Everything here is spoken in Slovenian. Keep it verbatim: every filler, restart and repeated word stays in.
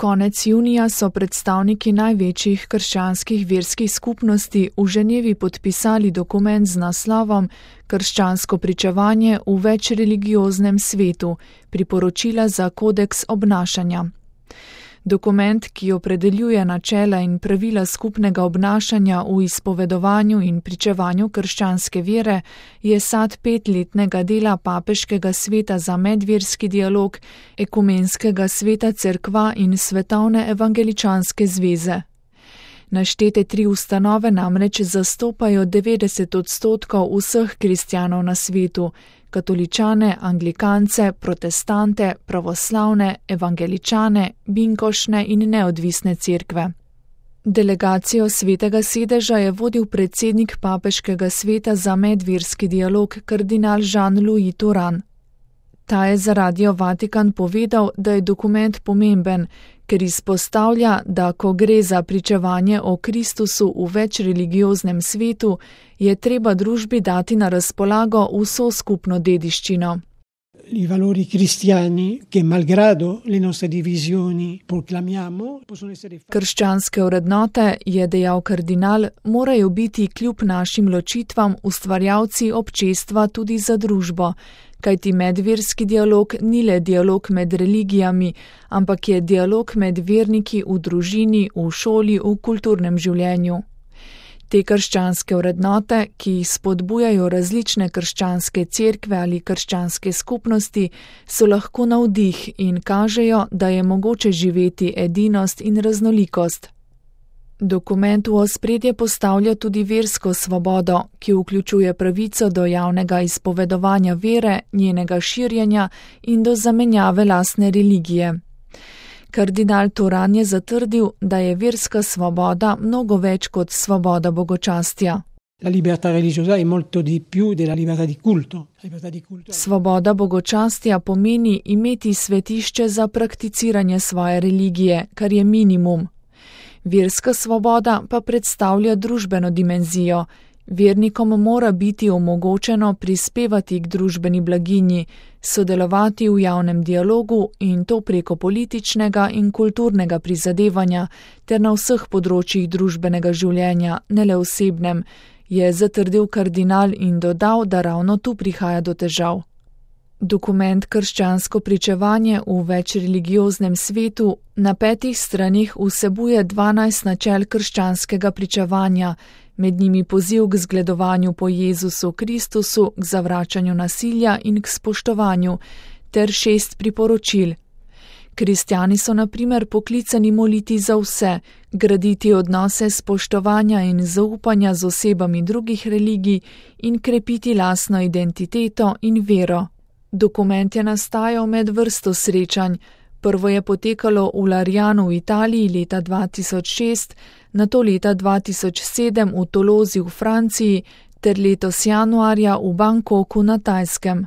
Konec junija so predstavniki največjih krščanskih verskih skupnosti v Ženevi podpisali dokument z naslovom Krščansko pričevanje v večreligioznem svetu, priporočila za kodeks obnašanja. Dokument, ki opredeljuje načela in pravila skupnega obnašanja v izpovedovanju in pričevanju krščanske vere, je sad petletnega dela Papeškega sveta za medverski dialog, Ekumenskega sveta cerkva in Svetovne evangeličanske zveze. Naštete tri ustanove namreč zastopajo devetdeset odstotkov vseh kristjanov na svetu, katoličane, anglikance, protestante, pravoslavne, evangeličane, binkošne in neodvisne cerkve. Delegacijo Svetega sedeža je vodil predsednik Papeškega sveta za medverski dialog kardinal Jean-Louis Turhan. Ta je za Radio Vatikan povedal, da je dokument pomemben, ker izpostavlja, da ko gre za pričevanje o Kristusu v večreligioznem svetu, je treba družbi dati na razpolago vso skupno dediščino. I valori cristiani che malgrado le nostre divisioni proclamiamo possono essere. Krščanske vrednote, je dejal kardinal, morajo biti kljub našim ločitvam ustvarjalci občestva tudi za družbo, kajti medverski dialog ni le dialog med religijami, ampak je dialog med verniki v družini, v šoli, v kulturnem življenju. Te krščanske vrednote, ki jih spodbujajo različne krščanske cerkve ali krščanske skupnosti, so lahko navdih in kažejo, da je mogoče živeti edinost in raznolikost. Dokument v ospredje postavlja tudi versko svobodo, ki vključuje pravico do javnega izpovedovanja vere, njenega širjenja in do zamenjave lastne religije. Kardinal Turhan je zatrdil, da je verska svoboda mnogo več kot svoboda bogočastja. La libertà religiosa è molto di più della libertà di culto. Svoboda bogočastja pomeni imeti svetišče za prakticiranje svoje religije, kar je minimum. Verska svoboda pa predstavlja družbeno dimenzijo. Vernikom mora biti omogočeno prispevati k družbeni blaginji, sodelovati v javnem dialogu in to preko političnega in kulturnega prizadevanja ter na vseh področjih družbenega življenja, ne le osebnem, je zatrdil kardinal in dodal, da ravno tu prihaja do težav. Dokument Krščansko pričevanje v večreligioznem svetu na petih stranih vsebuje dvanajst načel krščanskega pričevanja, med njimi poziv k zgledovanju po Jezusu Kristusu, k zavračanju nasilja in k spoštovanju, ter šest priporočil. Kristjani so na primer poklicani moliti za vse, graditi odnose spoštovanja in zaupanja z osebami drugih religij in krepiti lastno identiteto in vero. Dokument je nastajal med vrsto srečanj. Prvo je potekalo v Larjanu v Italiji leta dva tisoč šest, nato leta dva tisoč sedem v Tolozi v Franciji ter letos januarja v Bangkoku na Tajskem.